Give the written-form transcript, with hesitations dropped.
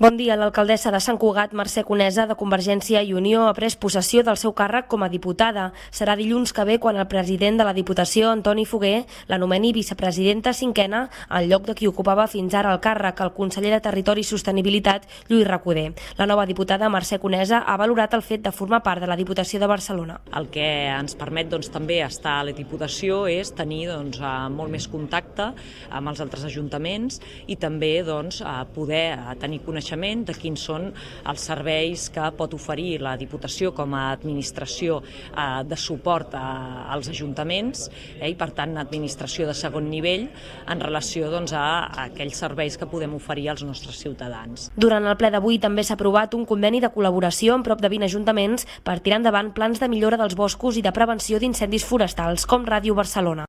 Bon dia. L'alcaldessa de Sant Cugat, Mercè Conesa, de Convergència i Unió, ha pres possessió del seu càrrec com a diputada. Serà dilluns que ve quan el president de la Diputació, Antoni Foguer, l'anomeni vicepresidenta cinquena en lloc de qui ocupava fins ara el càrrec, el conseller de Territori i Sostenibilitat, Lluís Recoder. La nova diputada, Mercè Conesa, ha valorat el fet de formar part de la Diputació de Barcelona. El que ens permet també estar a la Diputació és tenir molt més contacte amb els altres ajuntaments i també poder tenir coneixement de quins són els serveis que pot oferir la Diputació com a administració de suport als ajuntaments i, per tant, administració de segon nivell en relació a aquells serveis que podem oferir als nostres ciutadans. Durant el ple d'avui també s'ha aprovat un conveni de col·laboració amb prop de 20 ajuntaments per tirar endavant plans de millora dels boscos i de prevenció d'incendis forestals, com Ràdio Barcelona.